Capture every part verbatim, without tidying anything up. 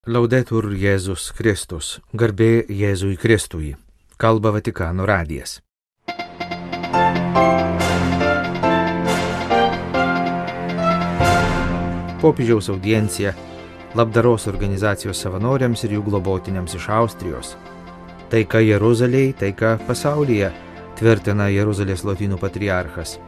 Laudetur Jėzus Kristus, garbė Jėzui Kristui, kalba Vatikano radijas. Popiežiaus audiencija labdaros organizacijos savanoriams ir jų globotiniams iš Austrijos. Taika Jeruzalėje, taika pasaulyje, tvirtina Jeruzalės lotynų patriarchas.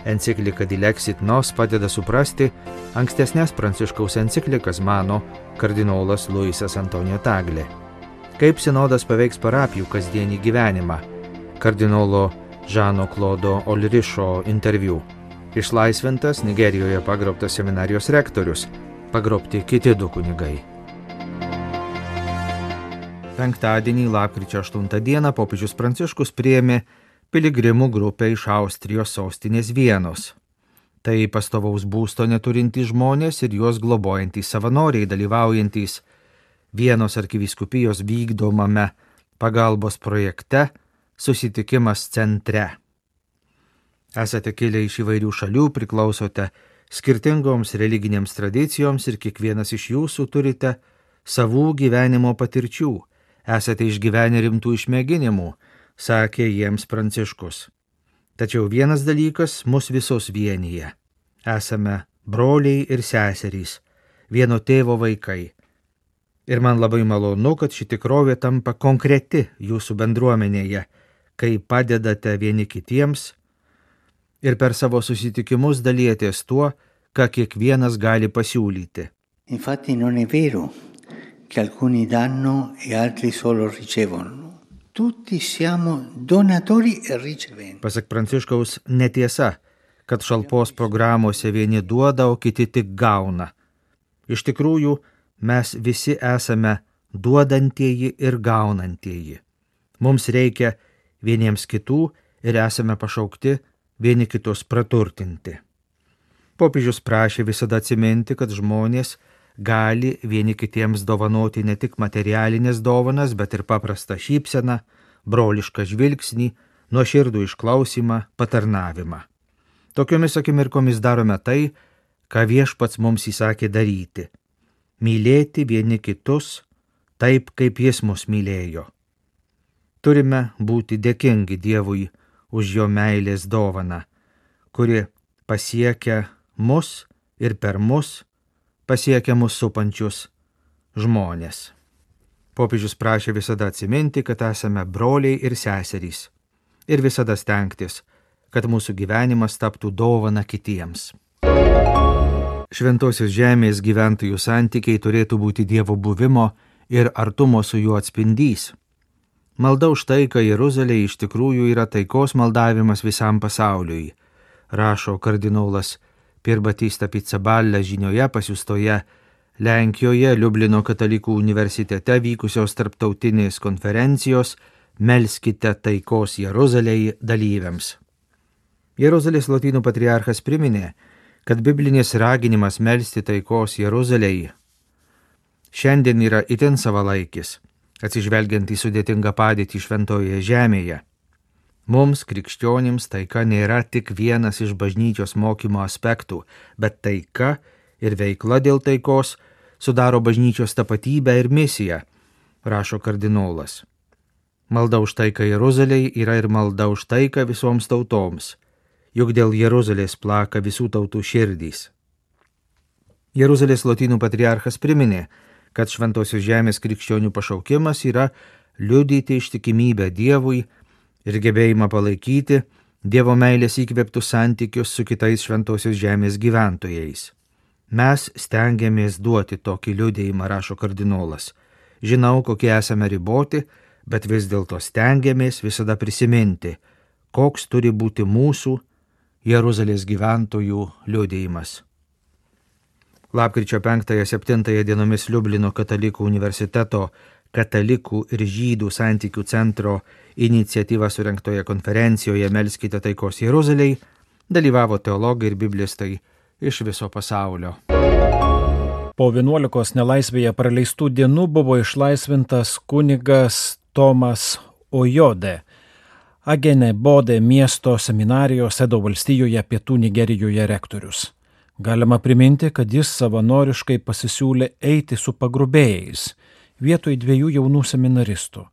Enciklika Dilexit Nos padeda suprasti ankstesnės Pranciškaus enciklikas, mano kardinolas Luisas Antonijo Taglė. Kaip sinodas paveiks parapijų kasdienį gyvenimą? Kardinolo Žano Klodo Olrišo interviu. Išlaisvintas Nigerijoje pagrobtas seminarijos rektorius, pagrobti kiti du kunigai. Penktadienį, lapkričio aštuntą dieną, popiežius Pranciškus priėmė piligrimų grupę iš Austrijos sostinės Vienos. Tai pastovaus būsto neturintys žmonės ir juos globojantys savanoriai, dalyvaujantys Vienos arkivyskupijos vykdomame pagalbos projekte Susitikimas centre. Esate kilę iš įvairių šalių, priklausote skirtingoms religinėms tradicijoms ir kiekvienas iš jūsų turite savų gyvenimo patirčių. Esate išgyvenę rimtų išmėginimų, sakė jiems Pranciškus. Tačiau vienas dalykas mus visus vienyje. Esame broliai ir seserys, vieno tėvo vaikai. Ir man labai malonu, kad ši tikrovė tampa konkreti jūsų bendruomenėje, kai padedate vieni kitiems ir per savo susitikimus dalijatės tuo, ką kiekvienas gali pasiūlyti. Infatti non è vero che alcuni danno e altri solo ricevono. Tutti siamo donatori e riceventi. Pasak Pranciškaus, netiesa, kad šalpos programuose vieni duoda, o kiti tik gauna. Iš tikrųjų, mes visi esame duodantieji ir gaunantieji. Mums reikia vieniems kitų ir esame pašaukti vieni kitus praturtinti. Popiežius prašė visada atsiminti, kad žmonės gali vieni kitiems dovanoti ne tik materialinės dovanas, bet ir paprastą šypseną, brolišką žvilgsnį, nuoširdų išklausimą, patarnavimą. Tokiomis akimirkomis darome tai, ką Viešpats mums įsakė daryti – mylėti vieni kitus taip, kaip Jis mus mylėjo. Turime būti dėkingi Dievui už jo meilės dovaną, kuri pasiekia mus ir per mus pasiekia mus supančius žmonės. Popiežius prašė visada atsiminti, kad esame broliai ir seserys ir visada stengtis, kad mūsų gyvenimas taptų dovana kitiems. Šventosios žemės gyventojų santykiai turėtų būti Dievo buvimo ir artumo su juo atspindys. Malda už taiką Jeruzalėje iš tikrųjų yra taikos maldavimas visam pasauliui, rašo kardinolas Pier Battista Pizzaballa žinioje pasiųstoje Lenkijoje Liublino katalikų universitete vykusios tarptautinės konferencijos Melskite taikos Jeruzalėje dalyviams. Jeruzalės lotynų patriarchas priminė, kad biblinis raginimas melsti taikos Jeruzalėje šiandien yra itin savalaikis, atsižvelgiant į sudėtingą padėtį šventojoje žemėje. Mums, krikščionims, taika nėra tik vienas iš bažnyčios mokymo aspektų, bet taika ir veikla dėl taikos sudaro bažnyčios tapatybę ir misiją, rašo kardinolas. Malda už taiką Jeruzalėje yra ir malda už taiką visoms tautoms, juk dėl Jeruzalės plaka visų tautų širdys. Jeruzalės lotynų patriarchas priminė, kad šventosios žemės krikščionių pašaukimas yra liudyti ištikimybę Dievui ir gebėjimą palaikyti Dievo meilės įkvėptus santykius su kitais šventosios žemės gyventojais. Mes stengiamės duoti tokį liudijimą, rašo kardinolas. Žinau, kokie esame riboti, bet vis dėlto stengiamės visada prisiminti, koks turi būti mūsų Jeruzalės gyventojų liudijimas. Lapkričio penktąją septintąją dienomis Liublino katalikų universiteto Katalikų ir žydų santykių centro iniciatyva surengtoje konferencijoje Melskite taikos Jeruzalėje dalyvavo teologai ir biblistai iš viso pasaulio. Po vienuolikos nelaisvėje praleistų dienų buvo išlaisvintas kunigas Tomas Ojode, Agene Bode miesto seminarijos Edo valstijoje pietų Nigerijoje rektorius. Galima priminti, kad jis savanoriškai pasisiūlė eiti su pagrobėjais vietoj dviejų jaunų seminaristų.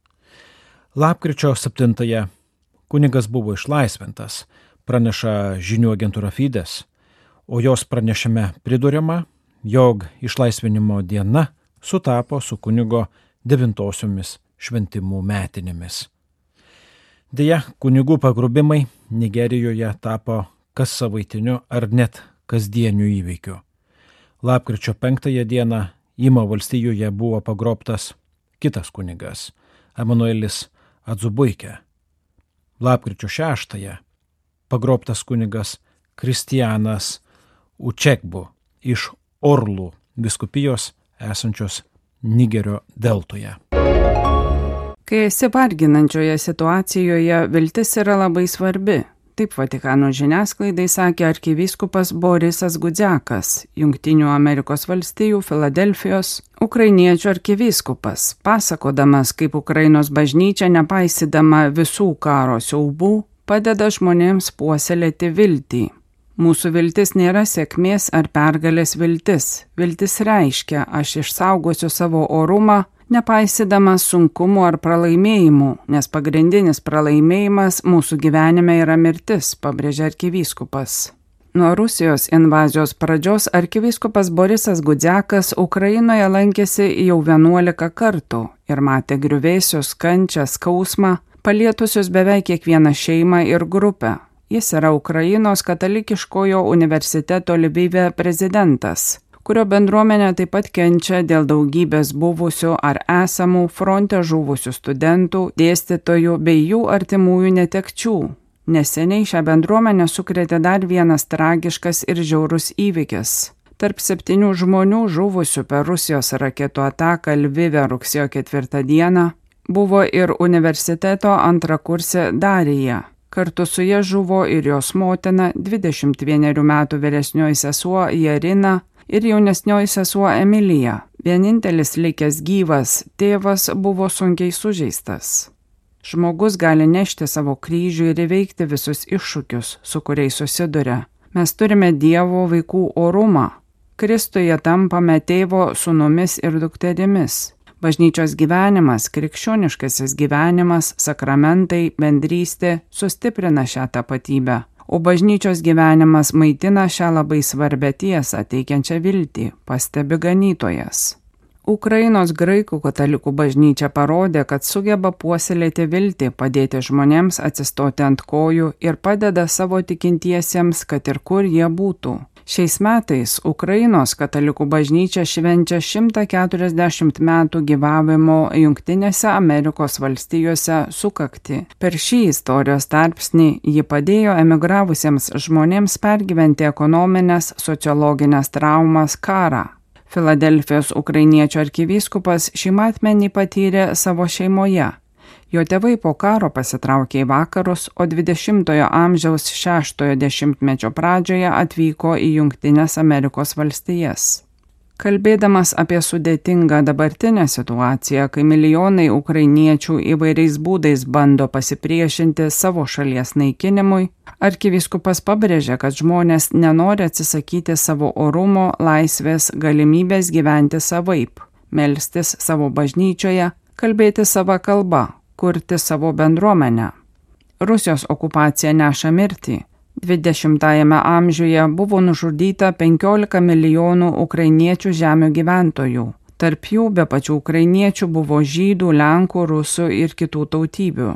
Lapkričio septintąją kunigas buvo išlaisvintas, praneša žinių agentūra Fides, o jos pranešime priduriama, jog išlaisvinimo diena sutapo su kunigo devintosiomis šventimų metinėmis. Deja, kunigų pagrobimai Nigerijoje tapo kas savaitiniu ar net kasdieniu įvykiu. Lapkričio penktąją dieną Imo valstijoje buvo pagrobtas kitas kunigas, Emanuelis Adzubuike. Lapkričio šeštąją pagrobtas kunigas Kristianas Učekbu iš Orlų vyskupijos esančios Nigerio deltoje. Kai esi varginančioje situacijoje, viltis yra labai svarbi. Taip Vatikano žiniasklaidai sakė arkivyskupas Borisas Gudziakas, Jungtinių Amerikos valstijų Filadelfijos ukrainiečių arkivyskupas, pasakodamas, kaip Ukrainos bažnyčia, nepaisydama visų karo siaubų, padeda žmonėms puoselėti viltį. Mūsų viltis nėra sėkmės ar pergalės viltis. Viltis reiškia, aš išsaugosiu savo orumą, nepaisydamas sunkumų ar pralaimėjimų, nes pagrindinis pralaimėjimas mūsų gyvenime yra mirtis, pabrėžia arkivyskupas. Nuo Rusijos invazijos pradžios arkivyskupas Borisas Gudziakas Ukrainoje lankėsi jau vienuolika kartų ir matė griuvėsius, kančią, skausmą, palietusius beveik kiekvieną šeimą ir grupę. Jis yra Ukrainos katalikiškojo universiteto Lvive prezidentas, kurio bendruomenė taip pat kenčia dėl daugybės buvusių ar esamų fronte žuvusių studentų, dėstytojų bei jų artimųjų netekčių. Neseniai šią bendruomenę sukrėtė dar vienas tragiškas ir žiaurus įvykis. Tarp septynių žmonių žuvusių per Rusijos raketų ataką Lvive rugsėjo ketvirtą dieną buvo ir universiteto antrakursė Darija. Kartu su ja žuvo ir jos motina, dvidešimt vienerių metų vyresnioji sesuo Jarina ir jaunesnioji sesuo Emilija. Vienintelis likęs gyvas tėvas buvo sunkiai sužeistas. Žmogus gali nešti savo kryžių ir įveikti visus iššūkius, su kuriais susiduria. Mes turime Dievo vaikų orumą. Kristuje tampame tėvo sūnumis ir dukterimis. Bažnyčios gyvenimas, krikščioniškasis gyvenimas, sakramentai, bendrystė sustiprina šią tapatybę, o bažnyčios gyvenimas maitina šią labai svarbę tiesą, teikiančią viltį, pastebi ganytojas. Ukrainos graikų katalikų bažnyčia parodė, kad sugeba puoselėti viltį, padėti žmonėms atsistoti ant kojų ir padeda savo tikintiesiems, kad ir kur jie būtų. Šiais metais Ukrainos katalikų bažnyčia švenčia šimtą keturiasdešimt metų gyvavimo Jungtinėse Amerikos valstijose sukaktį. Per šį istorijos tarpsnį ji padėjo emigravusiems žmonėms pergyventi ekonominės, sociologinės traumas, karą. Filadelfijos ukrainiečių arkivyskupas šį matmenį patyrė savo šeimoje. Jo tėvai po karo pasitraukė į vakarus, o dvidešimtojo amžiaus šeštojo dešimtmečio pradžioje atvyko į Jungtines Amerikos valstijas. Kalbėdamas apie sudėtingą dabartinę situaciją, kai milijonai ukrainiečių įvairiais būdais bando pasipriešinti savo šalies naikinimui, arkivyskupas pabrėžė, kad žmonės nenori atsisakyti savo orumo, laisvės, galimybės gyventi savaip, melstis savo bažnyčioje, kalbėti savo kalbą, kurti savo bendruomenę. Rusijos okupacija neša mirtį. dvidešimtajame amžiuje buvo nužudyta penkiolika milijonų ukrainiečių žemių gyventojų. Tarp jų be pačių ukrainiečių buvo žydų, lenkų, rusų ir kitų tautybių.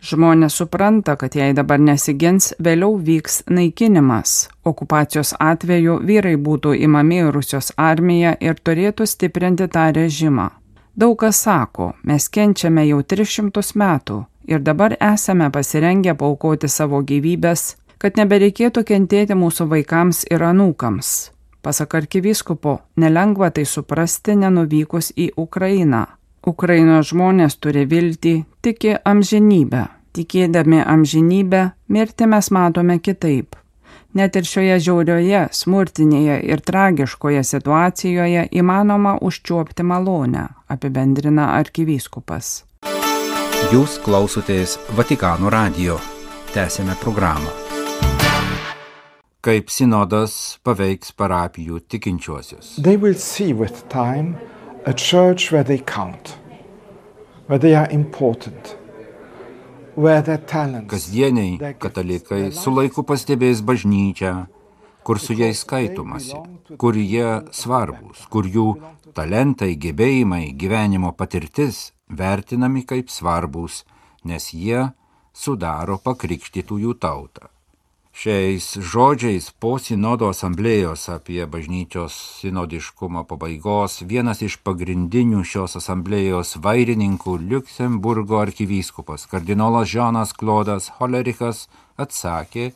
Žmonės supranta, kad jei dabar nesigins, vėliau vyks naikinimas. Okupacijos atveju vyrai būtų imami į Rusijos armiją ir turėtų stiprinti tą režimą. Daug kas sako, mes kenčiame jau tris šimtus metų ir dabar esame pasirengę paaukoti savo gyvybės, kad nebereikėtų kentėti mūsų vaikams ir anūkams. Pasak arkivyskupo, nelengva tai suprasti nenuvykus į Ukrainą. Ukrainos žmonės turi viltį, tiki amžinybę. Tikėdami amžinybę, mirtį mes matome kitaip. Net ir šioje žiaurioje, smurtinėje ir tragiškoje situacijoje įmanoma užčiuopti malonę, apibendrina arkivyskupas. Jūs klausotės Vatikano radijo. Tęsėme programą. kaip sinodas paveiks parapijų tikinčiuosius. They will see with time a church where they count, where they are important, where their talents. Kasdieniai katalikai su laiku pastebės bažnyčią, kur su jais skaitomasi, kur jie svarbus, kur jų talentai, gebėjimai, gyvenimo patirtis vertinami kaip svarbus, nes jie sudaro pakrikštytųjų tautą. Šiais žodžiais po sinodo asamblėjos apie bažnyčios sinodiškumo pabaigos vienas iš pagrindinių šios asamblėjos vairininkų Liuksemburgo arkivyskupas kardinolas Žanas Klodas Holerichas atsakė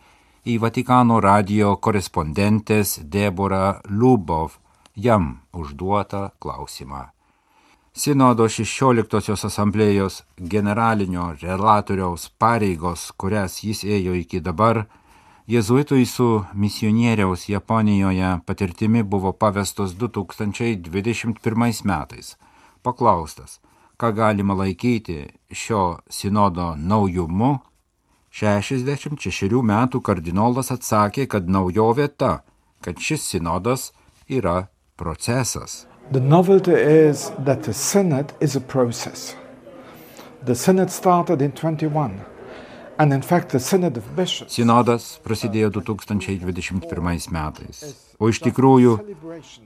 į Vatikano radijo korespondentės Deborah Lubov jam užduotą klausimą. Sinodo šešioliktosios asamblėjos generalinio relatoriaus pareigos, kurias jis ėjo iki dabar, jėzuitui su misionieriaus Japonijoje patirtimi buvo pavestos du tūkstančiai dvidešimt pirmais metais. Paklaustas, ką galima laikyti šio sinodo naujumu, šešiasdešimt šešerių metų kardinolas atsakė, kad naujovė ta, kad šis sinodas yra procesas. The novelty is that the synod is a process. The synod started in twenty-one. And in fact, the Synod of Bishops. Sinodas prasidėjo du tūkstančiai dvidešimt pirmais metais, o iš tikrųjų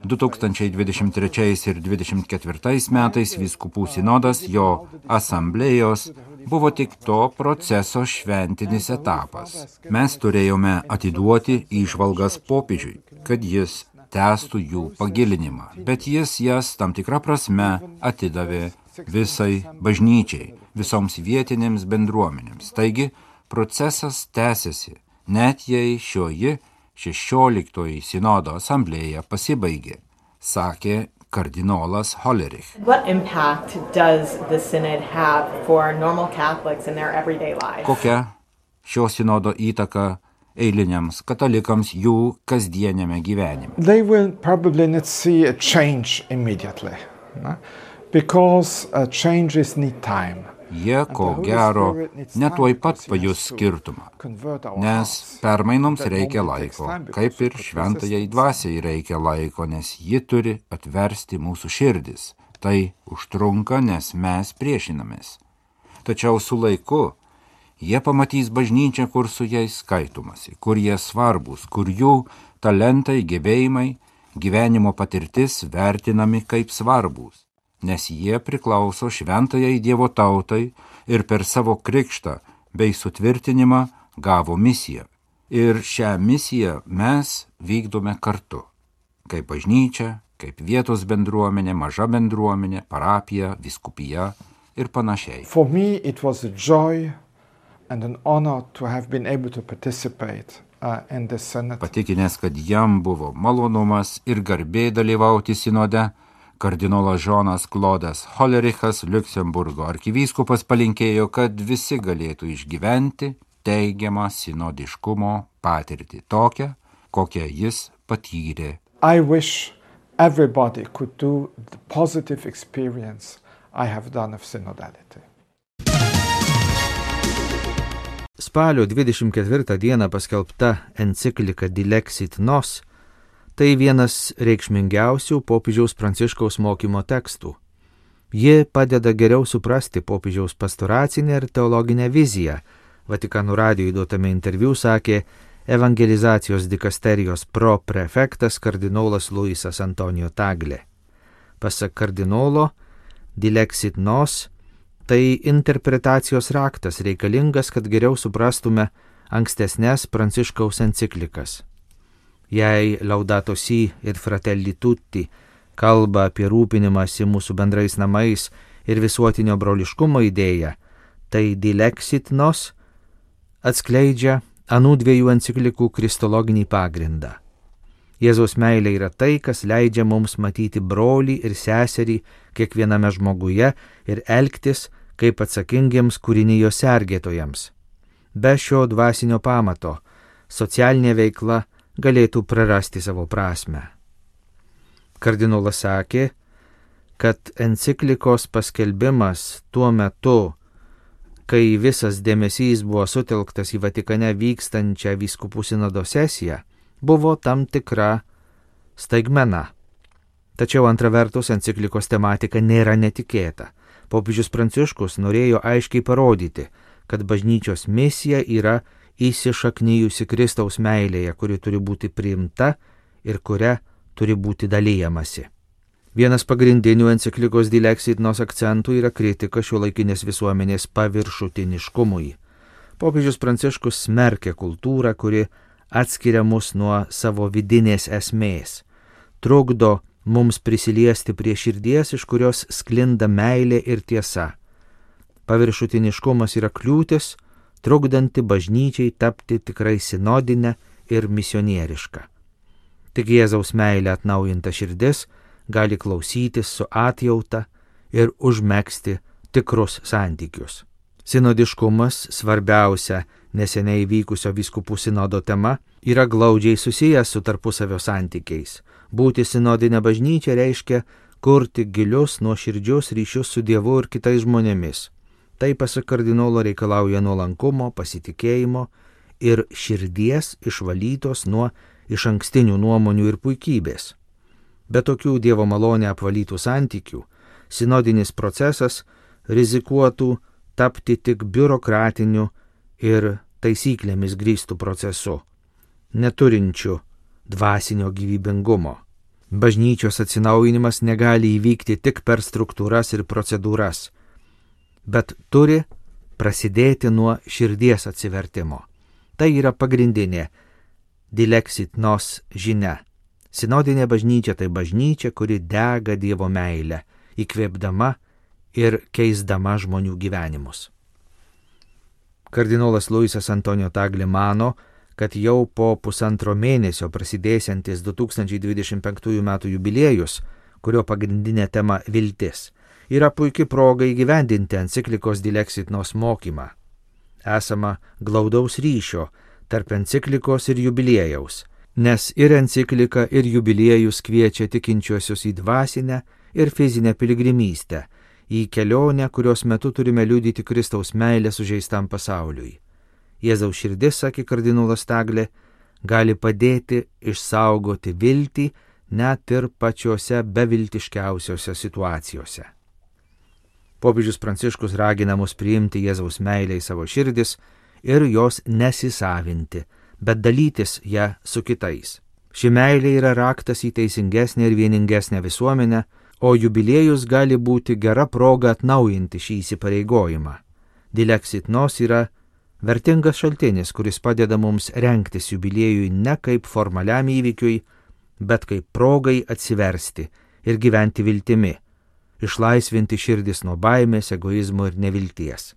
du tūkstančiai dvidešimt trečiais ir dvidešimt ketvirtais metais vyskupų sinodas, jo asamblėjos, buvo tik to proceso šventinis etapas. Mes turėjome atiduoti įžvalgas popiežiui, kad jis tęstų jų pagilinimą, bet jis jas tam tikrą prasme atidavė visai bažnyčiai, visoms vietinėms bendruomenėms. Taigi, procesas tęsiasi, net jei šioji šešioliktoji sinodo asamblėja pasibaigė, sakė kardinolas Hollerich. What impact does the synod have for normal Catholics in their everyday life? Kokia šio sinodo įtaka eiliniams katalikams jų kasdieniame gyvenime? They will probably not see a change immediately. No? Because uh, changes need time. Jie, ko gero, netuoj pat pajus skirtumą, nes permainoms reikia laiko, kaip ir šventajai dvasiai reikia laiko, nes ji turi atversti mūsų širdis. Tai užtrunka, nes mes priešinamės. Tačiau su laiku jie pamatys bažnyčią, kur su jais skaitomasi, kur jie svarbus, kur jų talentai, gebėjimai, gyvenimo patirtis vertinami kaip svarbus, nes jie priklauso šventajai Dievo tautai ir per savo krikštą bei sutvirtinimą gavo misiją. Ir šią misiją mes vykdome kartu, kaip bažnyčia, kaip vietos bendruomenė, maža bendruomenė, parapija, vyskupija ir panašiai. For me it was a joy and an honor to have been able to participate uh, in the synod. Patikinęs, kad jam buvo malonumas ir garbė dalyvauti sinode, kardinolas Žanas Klodas Hollerichas, Liuksemburgo arkivyskupas, palinkėjo, kad visi galėtų išgyventi teigiamą sinodiškumo patirtį, tokią, kokią jis patyrė. I wish everybody could do the positive experience I have done of synodality. Spalio dvidešimt ketvirtą dieną paskelbta enciklika Dilexit Nos tai vienas reikšmingiausių popiežiaus Pranciškaus mokymo tekstų. Ji padeda geriau suprasti popiežiaus pastoracinę ir teologinę viziją. Vatikano radijui duotame interviu sakė evangelizacijos dikasterijos proprefektas kardinolas Luisas Antonijo Tagle. Pasak kardinolo, Dilexit Nos tai interpretacijos raktas reikalingas, kad geriau suprastume ankstesnės Pranciškaus enciklikas. Jei Laudato Si ir Fratelli Tutti kalba apie rūpinimąsi mūsų bendrais namais ir visuotinio broliškumo idėją, tai Dilexit Nos atskleidžia anų dviejų enciklikų kristologinį pagrindą. Jėzaus meilė yra tai, kas leidžia mums matyti brolį ir seserį kiekviename žmoguje ir elgtis kaip atsakingiems kūrinijos sergėtojams. Be šio dvasinio pamato socialinė veikla galėtų prarasti savo prasmę. Kardinolas sakė, kad enciklikos paskelbimas tuo metu, kai visas dėmesys buvo sutelktas į Vatikane vykstančią vyskupų sinodo sesiją, buvo tam tikra staigmena. Tačiau antra vertus enciklikos tematika nėra netikėta. Popiežius Pranciškus norėjo aiškiai parodyti, kad bažnyčios misija yra įsišaknijusi Kristaus meilėje, kuri turi būti priimta ir kuria turi būti dalyjamasi. Vienas pagrindinių enciklikos Dilexit Nos akcentų yra kritika šiuolaikinės visuomenės paviršutiniškumui. Popiežius Pranciškus smerkia kultūrą, kuri atskiria mus nuo savo vidinės esmės, trukdo mums prisiliesti prie širdies, iš kurios sklinda meilė ir tiesa. Paviršutiniškumas yra kliūtis, trukdanti bažnyčiai tapti tikrai sinodinę ir misionierišką. Tik Jėzaus meilė atnaujinta širdis gali klausytis su atjauta ir užmegzti tikrus santykius. Sinodiškumas, svarbiausia neseniai vykusio vyskupų sinodo tema, yra glaudžiai susijęs su tarpusavio santykiais. Būti sinodinė bažnyčia reiškia kurti gilius nuoširdžius ryšius su Dievu ir kitais žmonėmis. Tai pasak kardinolo reikalauja nuolankumo, pasitikėjimo ir širdies išvalytos nuo išankstinių nuomonių ir puikybės. Be tokių Dievo malonę apvalytų santykių, sinodinis procesas rizikuotų tapti tik biurokratiniu ir taisyklėmis grįstų procesu, neturinčiu dvasinio gyvybingumo. Bažnyčios atsinaujinimas negali įvykti tik per struktūras ir procedūras, bet turi prasidėti nuo širdies atsivertimo. Tai yra pagrindinė Dilexit Nos žinia. Sinodinė bažnyčia tai bažnyčia, kuri dega Dievo meilę, įkvėpdama ir keisdama žmonių gyvenimus. Kardinolas Luisas Antonijo Tagle mano, kad jau po pusantro mėnesio prasidėsiantis du tūkstančiai dvidešimt penktųjų metų jubiliejus, kurio pagrindinė tema viltis, yra puikia proga įgyvendinti enciklikos Dilexit Nos mokymą. Esama glaudaus ryšio tarp enciklikos ir jubiliejaus, nes ir enciklika, ir jubiliejus kviečia tikinčiuosius į dvasinę ir fizinę piligrimystę, į kelionę, kurios metu turime liudyti Kristaus meilę sužeistam pasauliui. Jėzaus širdis, sakė kardinolas Tagle, gali padėti išsaugoti viltį net ir pačiose beviltiškiausiose situacijose. Popiežius Pranciškus ragina mus priimti Jėzaus meilę į savo širdis ir jos nesisavinti, bet dalytis ją su kitais. Ši meilė yra raktas į teisingesnę ir vieningesnę visuomenę, o jubiliejus gali būti gera proga atnaujinti šį įsipareigojimą. Dilexit Nos yra vertingas šaltinis, kuris padeda mums rengtis jubiliejui ne kaip formaliam įvykiui, bet kaip progai atsiversti ir gyventi viltimi, išlaisvinti širdis nuo baimės, egoizmo ir nevilties.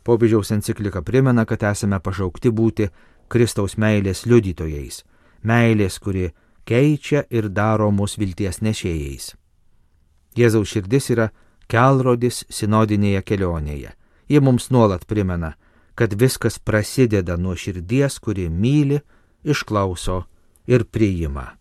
Popiežiaus enciklika primena, kad esame pašaukti būti Kristaus meilės liudytojais, meilės, kuri keičia ir daro mus vilties nešėjais. Jėzaus širdis yra kelrodis sinodinėje kelionėje. Ji mums nuolat primena, kad viskas prasideda nuo širdies, kuri myli, išklauso ir priima.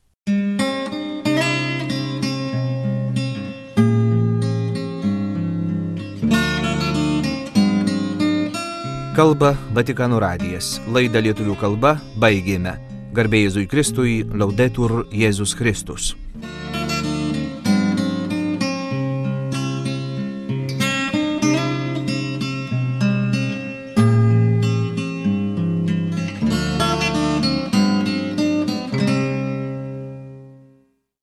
Kalba Vatikano radijas. Laidą lietuvių kalba baigėme. Garbė Jėzui Kristui, Laudetur Jėzus Kristus.